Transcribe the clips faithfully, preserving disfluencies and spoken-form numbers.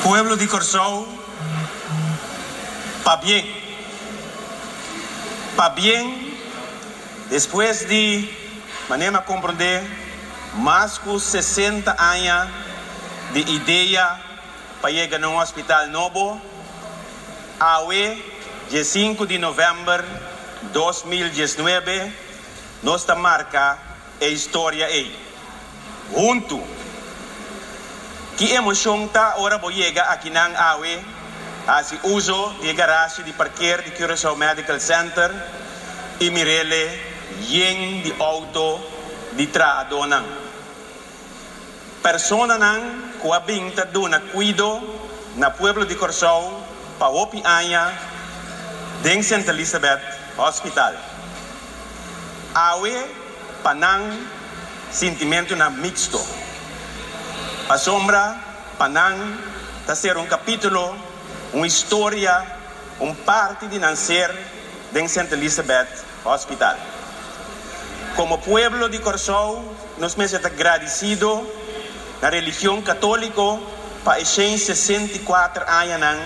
Pueblo di Kòrsou, pabien. Pabien, despues di, manera mi a komprondé, mas ku sesenta aña di idea pa yega na un hospital nobo, awe, dia sinku di novèmber dos mil diesnuebe, nos ta marka e historia ei. Huntu! Ki emoshon ta ora bo yega akinan awe, hasi uso di e garashi di parker di Curaçao Medical Center i mir'ele yen di outo di trahadónan. Personanan ku a bin ta duna kuido na pueblo di Kòrsou pa hopi aña den Sint Elisabeth Hospital. Awe pa nan sintimentunan miksto. Pasobra pa nan ta ser un kapítulo, un historia, un parti di nan ser den Sint Elisabeth Hospital. Komo pueblo di Kòrsou nos mester ta gradisido na religion katóliko pa e shen sesenta i kuater añanan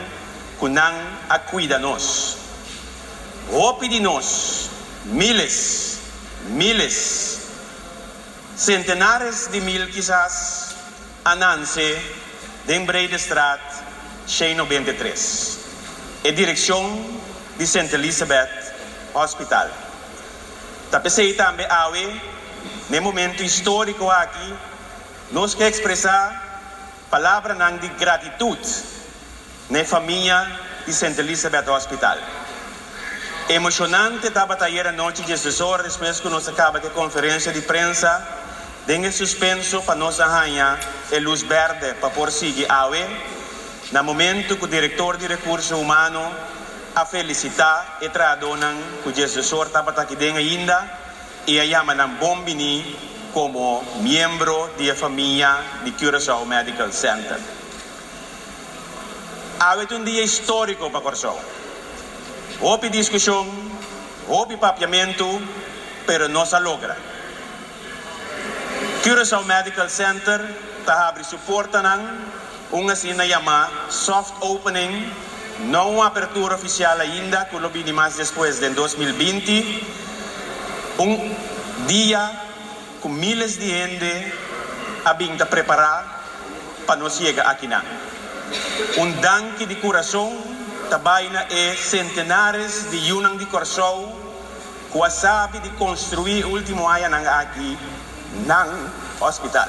ku nan a kuida nos. Hopi di nos, miles, miles, sentenares di mil kisas, a nanse den Breedestraat shen nobenta i tres, e direkshon di Sint Elisabeth Hospital. Ta p'esei tambe awe, n'e momento históriko aki, nos ke ekspresá palabranan di gratitut n'e famia di Sint Elisabeth Hospital. Emoshonante tabata ayer anochi diesdos or despues ku nos a kaba ku e konferensia di prensa den e suspenso pa nos a haña e lus bèrdè pa por sigui awe na momento ku direktor di Rekurso Humano a felisitá e trahadónan ku diesdos or tabata aki den ainda i a yama nan bon biní komo miembro di e famia di Curaçao Medical Center. Awe ta un dia históriko pa Kòrsou. Hopi diskushon, hopi papiamentu, pero nos a logra. Curaçao Medical Center ta habri su portanan, un asina yamá soft opening, no un apertura ofisial ainda ku lo bini mas despues den dos mil binti, un dia ku miles di hende a bin ta prepará pa nos yega akinan. Un danki di kurason ta bai na e sentenares di yunan di Kòrsou ku a sabi di konstruí último añanan aki nan hospital.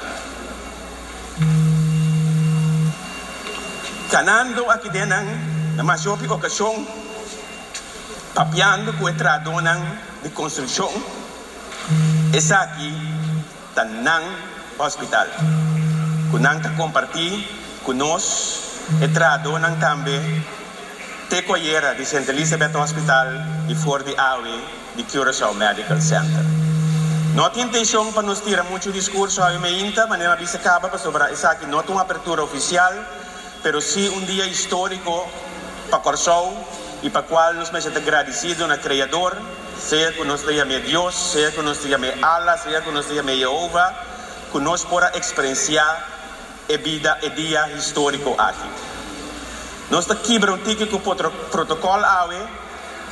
Kanando aki den nan na mas hopi okashon papiando ku e trahadónan di konstrukshon, esaki ta nan hospital ku nan ta kompartí ku nos e trahadónan tambe te ku ayera di Sint Elisabeth Hospital i for di awe di Curaçao Medical Center. No tin intenshon pa nos tira muchu diskurso awe meinta, manera mi a bisa kaba, pasobra esaki no ta un apertura ofisial, pero sí un dia históriko pa Kòrsou i pa kual nos mester ta gradisido na Kreador, sea ku nos ta yam'é Dios, sea ku nos ta yam'é Allah, sea ku nos ta yam'é Yehova, ku nos por a eksperensiá e bida e dia históriko aki. Nos ta kibra un tiki ku protokòl awe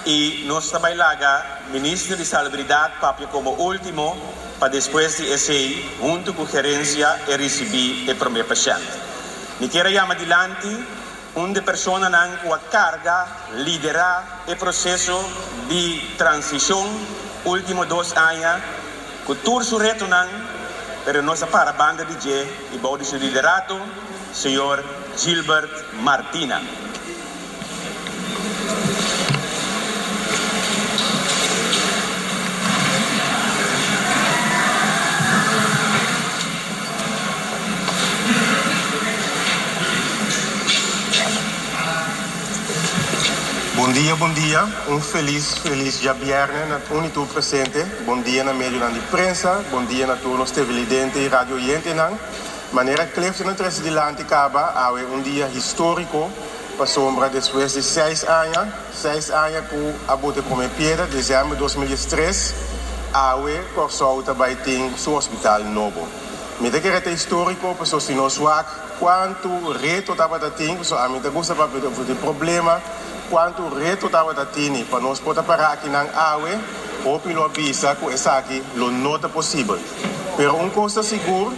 i nos ta bai laga Minister di Salubridat papia komo último pa despues di esei huntu ku gerensia e risibí e promé pashènt. Mi kier a yama dilanti un di personanan ku a karga liderá e proseso di transishon último dos aña ku tur su retonan, pero nos a para banda di dje i bou di su liderato, señor Gilbert Martina. Bon dia, bon dia. Un felis, felis djabièrnè na un i tur presente. Bon dia na medionan di prensa, bon dia na tur nos televidente i radio oyentenan. Manera Clifton a trese dilanti kaba, awe un dia históriko pasobra despues di seis aña, seis aña ku a bota e promé piedra, desèmber dos mil diestres, awe Kòrsou ta bai tin su hospital nobo. Mi ta kere ta históriko, pasobra si nos wak kuantu reto tabatin, pasobra ami ta gusta papia di problema, kuantu reto tabatin pa nos por ta para akinan awe, hopi lo bisa ku esaki lo no ta posibel. Pero un kos ta sigur,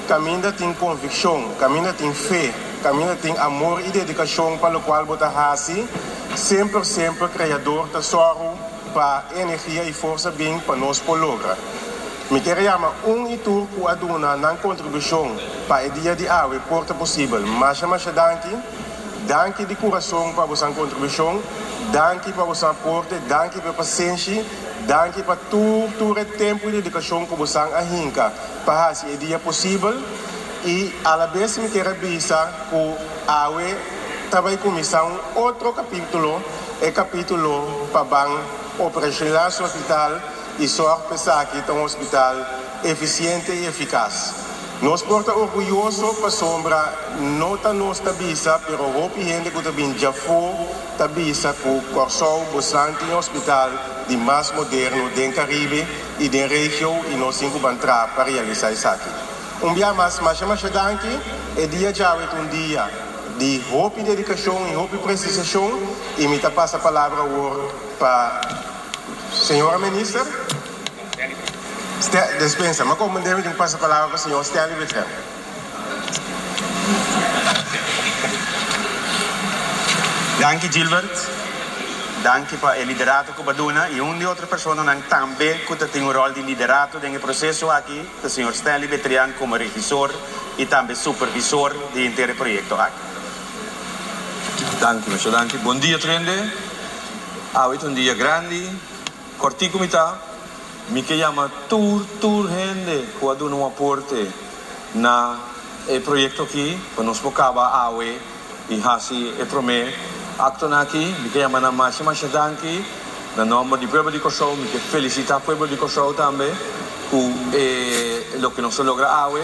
kaminda tin konvikshon, kaminda tin fe, kaminda tin amor i dedikashon pa loke bo ta hasi, semper, semper Kreador ta sòru pa energia i forsa bin pa nos por logra. Mi ke yama un i tur ku a duna nan kontribushon pa e dia di awe por ta posibel. Masha masha danki. Danki di kurason pa boso kontribushon. Danki pa boso aporte, danki pa pasenshi, danki pa tur tur e tempu i dedikashon ku boso a hinka pa hasi e dia posibel. I a la bes mi ke bisa ku awe ta bai kuminsá un otro kapítulo, e kapítulo pa ban operashonalisá e hospital i sòru pa esaki ta un hospital efisiente i efikas. Nos por ta orguyoso pasobra no ta nos ta bisa, pero hopi hende ku ta bin di afó ta bisa ku Kòrsou boso tin hospital di mas moderno den Karibe i den region i nos tin ku entra pa realisá esaki. Un dia mas, masha masha danki, e dia djawe ta un dia di hopi dedikashon i hopi presishon i mi ta pasa palabra pa señora minister. Dispensa, ma komo debe pasa palabra pa señor Stanley Betrian. Danki, Gilbert. Danki pa e liderato ku bo a duna i un di otro personanan tambe ku tin un ròl di liderato den e proseso aki, señor Stanley Betrian komo regisor i tambe supervisor di henter e proyekto aki. Danki, masha danki. Bon dia, tur hende. Awe ta un dia grandi. Kòrtiku mi ta. Mi ke yama tur tur hende ku a duna un aporte na e proyekto aki, pa nos por kaba awe i hasi e promé akto aki. Mi ke yama nan masha masha danki. Na nòmber di pueblo di Kòrsou, mi ke felisitá pueblo di Kòrsou tambe ku eh, loke nos a logra awe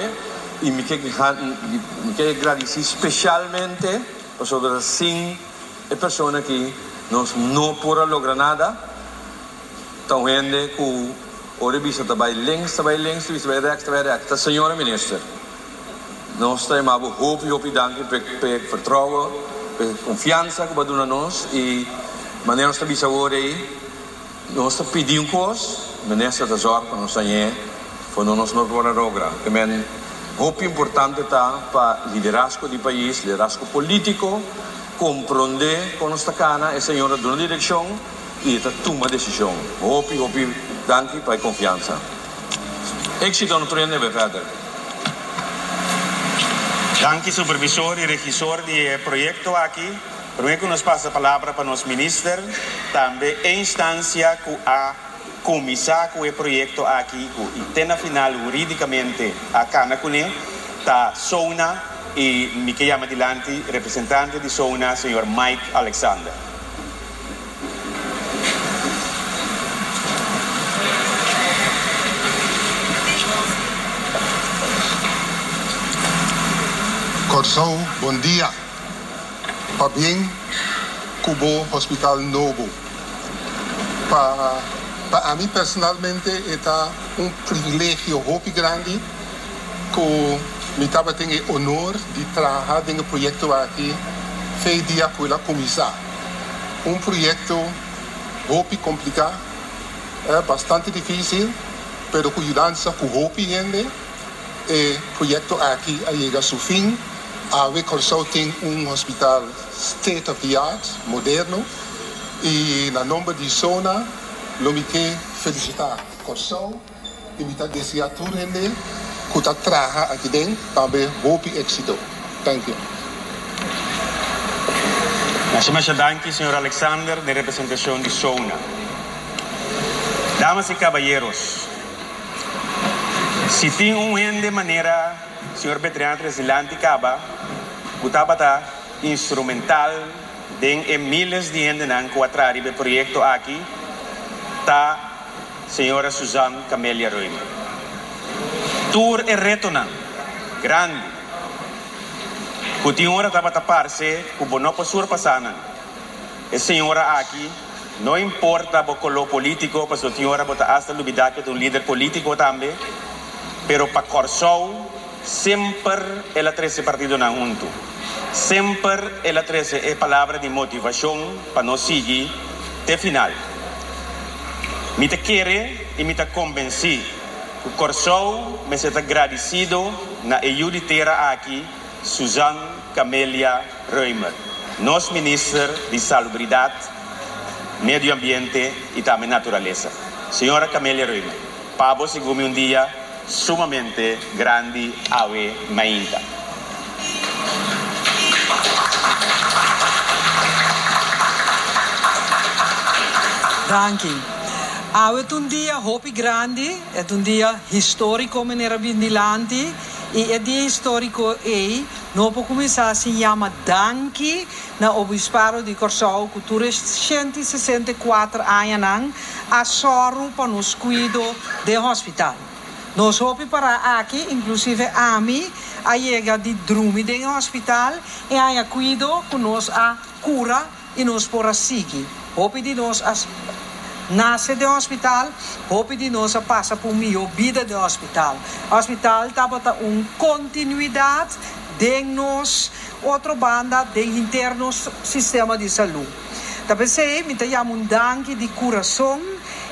i mi ke mi ke gradisí spesialmente pasobra sin e persona aki nos no por a logra nada. Anto hende ku ora bisa ta bai links, ta bai links, bisa bai rechts, ta bai rechts. Ta señora minister. Nos ta yama hopi hopi danki pa pa vertrouwen, pa konfiansa ku bo a duna nos i manera nos ta bisa awor ei, nos ta pidi un kos, minister ta zorg pa nos hañ'é, ku nos no por a logra. Tambe hopi importante ta pa liderazgo di pais, liderazgo polítiko, komprondé kon nos ta kana, e señora duna direkshon i ta tuma desishon. Hopi, hopi, danki pa e konfiansa. Éksito na tur verder. Danki, supervisor i regisor di e proyekto aki. Promé ku nos pasa palabra pa nos minister, tambe e instansia ku a kuminsá ku e proyekto aki, i te na final hurídikamente a kana kuné, ta SONA i mi ke yama dilanti representante di SONA, señor Mike Alexander. Kòrsou, bon dia. Pabien ku bo hospital nobo. Pa, pa mi personalmente ta un privilegio hopi grandi ku mi tabatin e honor di traha den e proyekto aki for di dia ku el a kuminsá. Un proyekto hopi kompliká, eh, bastante difísil, pero ku yudansa ku hopi hende, e proyekto aki a yega su fin. Awe Kòrsou tin un hospital state of the art, moderno, i na nòmber di SONA, lo mi ke felisitá Kòrsou i mi ta deseá tur hende ku ta traha aki den tambe hopi éksito. Thank you. Masha masha danki, señor Alexander, den representashon di SONA. Damas i kabayeronan, si tin un hende manera señor Betrian Tresilanti kaba, ku tabata instrumental den e míles di hendenan ku a traha e proyekto aki, ta señora Suzanne Camelia Römer. Tur e retonan grandi ku tin ora tabata parse ku bo no por surpasá nan. E señora aki no importa bo koló polítiko, pasobra tin ora bo ta hasta lubidá ku e ta un lider polítiko tambe, pero pa Kòrsou Semper el a trese partidonan huntu. Semper el a trese e palabra di motivashon pa nos sigui te final. Mi ta kere i mi ta konvensí ku Kòrsou mester ta gradisido na e yu di tera aki, Suzanne Camelia Römer, nos minister di Salubridat, Medio Ambiente i tambe Naturalesa. Señora Camelia Römer, pa bo sigur un dia sumamente grandi awe mainta. Danki. Awe ta un dia hopi grandi, e ta un dia históriko, manera bin dilanti, i e dia históriko ei, no por kuminsá sin yama danki na Obispado di Kòrsou, ku tur shen i sesenta i kuater añanan a sòru pa nos kuido den hospital. Nos hopi para aki, inklusive ami, a yega di drumi den hospital i haña kuido ku nos a kura i nos por a sigui. Hopi di nos a nase den hospital, hopi di nos a pasa pa un mihó bida den hospital. Hospital tabata un kontinuidat den nos otro banda den henter nos sistema di salú. Ta p'esei mi ta yama un danki di kurason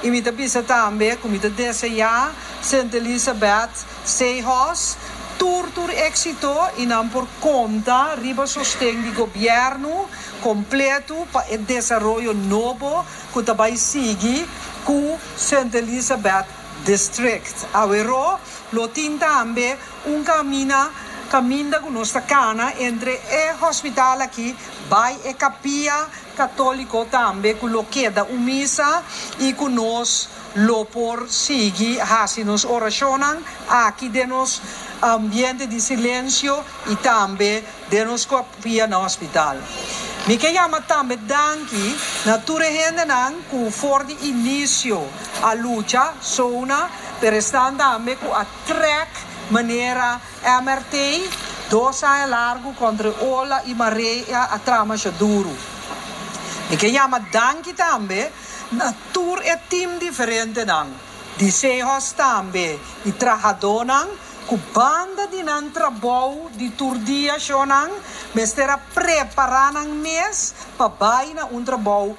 i mi ta bisa tambe ku mi ta deseá Sint Elisabeth Sehos tur tur éksito i nan por konta riba sosten di gobièrnu kompleto pa e desaroyo nobo ku ta bai sigui ku Sint Elisabeth District. Aweró lo tin tambe un kamina kaminda ku nos ta kana entre e hospital aki bai e kapia katóliko tambe ku lo keda un misa i ku nos lo por sigui hasi nos orashonnan aki den nos ambiente di silensio i tambe den nos kapia na hospital. Mi ke yama tambe danki na tur e hendenan ku for di inisio a lucha sona, pero esnan tambe ku a trèk manera M R T dos aña largu kontra ola i marea a traha masha duru. Mi ke yama danki tambe na tur e tim diferentenan, di Sehos tambe, di trahadónan, ku banda di nan trabou di tur dia shonnan, mester a prepará nan mes pa bai na un trabou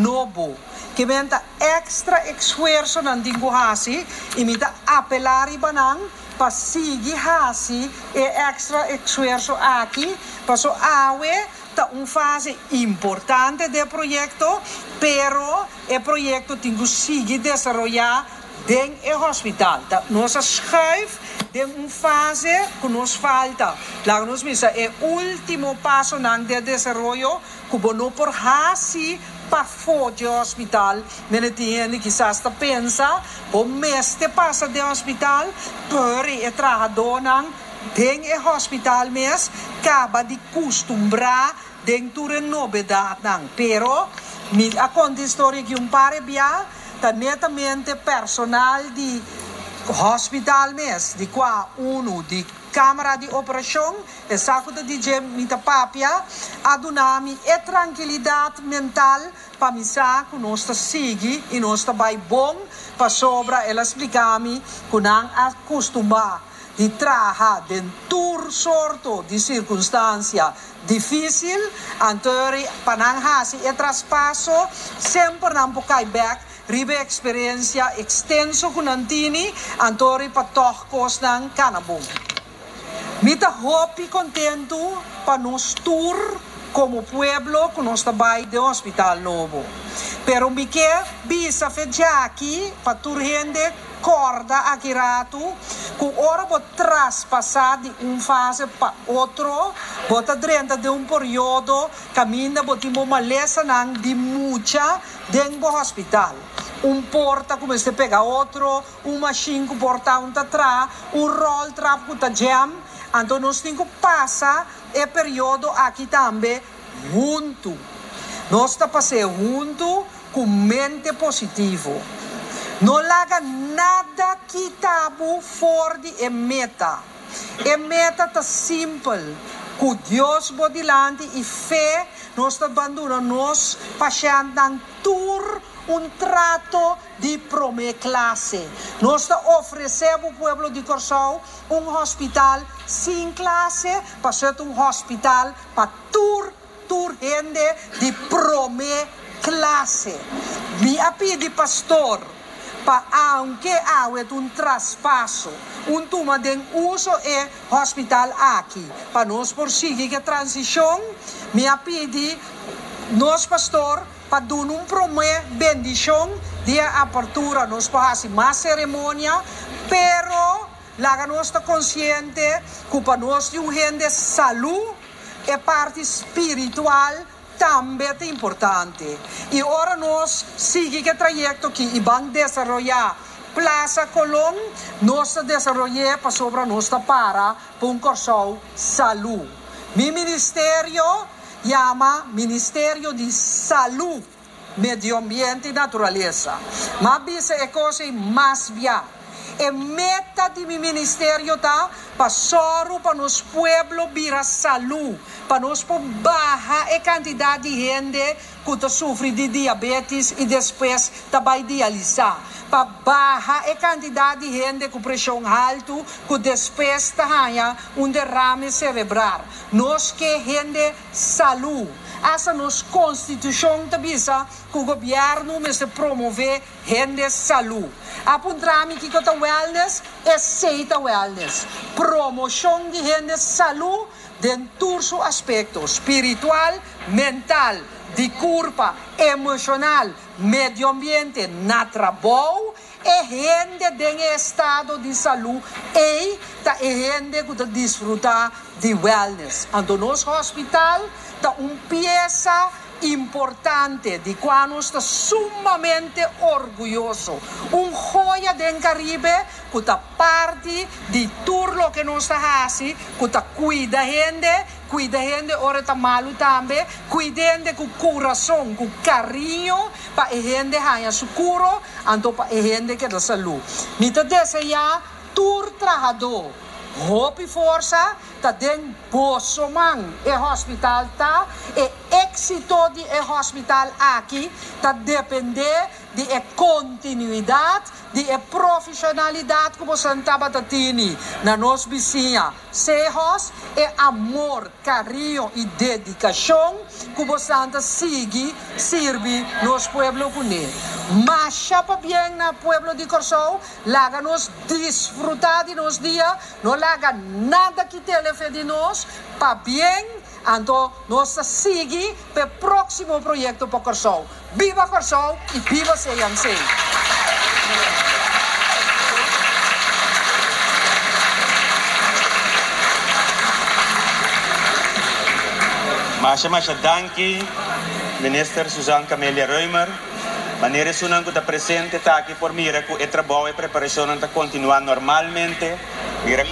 nobo. Ke men ta ekstra esfuerso nan tin ku hasi i mi ta apelá riba nan pa sigui hasi e ekstra esfuerso aki, paso awe ta un fase importante den proyekto, pero e proyekto tin ku sigui desaroyá den e hospital. Ta nos a schuif den un fase ku nos falta. Laga nos bisa e último pasonan den desaroyo ku bo no por hasi pafó di hospital. Mene tin hende kisas ta pensa, bo mester pasa den hospital, pero e trahadónan den e hospital mes kaba di kustumbrá den tur e nobedatnan. Pero mi a konta historia ku un par e bia ta netamente personal di hospital mes, di kua unu di kamera di operashon, esaki ta D J mi ta papia, a duna mi e trankilidat mental pa mi sa ku nos ta sigui i nos ta bai bon, pasobra el a splika mi ku nan a kustumbrá di traha den tur sorto di sirkunstansia difísil, anto pa nan hasi e traspaso semper nan por kai bèk riba eksperensia ekstenso ku nan tini, anto pa tòg kosnan kana bon. Mi ta hopi kontentu pa nos tur komo pueblo ku nos ta bai den hospital nobo. Pero mi ke bisa fe djaki pa tur hende kòrda aki ratu ku ora bo traspasá di un fase pa otro, bo ta drenta den un periodo kaminda bo tin bo malesanan di mucha den bo hospital. Un porta ku mester pega otro, un machine ku porta un ta tra, un roltrap ku ta jam. Anto nos tin ku pasa e periodo aki tambe huntu. Nos ta pas'é huntu ku mente positivo. No laga nada kita bo for di e meta. E meta ta simpel. Ku Dios bo dilanti i fe, nos ta bandona nos pashèntnan tur Un trato di promé klase. Nos ta ofresé e pueblo di Kòrsou un hospital sin klase, pa ser un hospital pa tur, tur hende di promé klase. Mi a pidi pastor, pa aunke awe un traspaso, un tuma den uso e hospital aki, pa nos por sigui e transishon, mi a pidi nos pastor pa duna un promé bendishon di apertura, nos por hasi mas seremonia, pero laga nos ta konsiente ku pa nos tin un hende salú, e parti spiritual tambe ta importante. I ora nos sigui e trayekto aki i ban desaroyá Plaza Colón, nos ta desaroyá pasobra nos ta para pa un Kòrsou salú. Mi ministerio yama Ministerio di Salú, Medio Ambiente i Naturalesa. M'a bisa e kos mas bia. E meta di mi ministerio ta pa pa nos pueblo bira salú, pa nos baha e kantidat di hende ku ta sufri di diabetes i despues ta bai dialisá. Pa baha e kantidat di hende ku preshon haltu, ku despues ta un derame serebral. Nos ke hende salú. Esa nos konstitushon ta bisa ku gobièrnu mester promové hende salú. A puntra mi kiko ta wellness, esei ta wellness. Promoshon di hende salú den tur su aspekto, spiritual, mental, di kurpa, emoshonal, medio ambiente, na trabou, e hende den estado di salú i ta hende ku ta disfrutá di wellness. Anto nos hospital ta un piesa importante di kua nos ta sumamente orguyoso. Un joya den Karibe ku ta parti di tur loke nos ta hasi, ku ta kuida hende, kuida hende ora ta malu tambe, kuida hende ku kurason, ku kariño, pa hende haña su kura, anto pa hende keda salú. Mi ta deseá tur trahadó hopi forsa, ta den boso man e hospital ta, e éksito di e hospital aki ta dependé di e kontinuidat, di e profeshonalidat ku boso tabata tin na nos bisiña. Sehos e amor, kariño i dedikashon ku boso ta sigui sirbi nos pueblo kuné. Masha pabien na pueblo di Kòrsou, laga nos disfrutá di nos dia, no laga nada kita fe di nos, pabien, anto nos ta sigui pa e próksimo proyekto pa Kòrsou. Biba Kòrsou i biba C M C. Masha masha danki, Minister Susan Camelia Römer. Manera esunnan ku ta presente ta aki por mira ku e trabou i preparashon ta kontinuá normalmente. Mira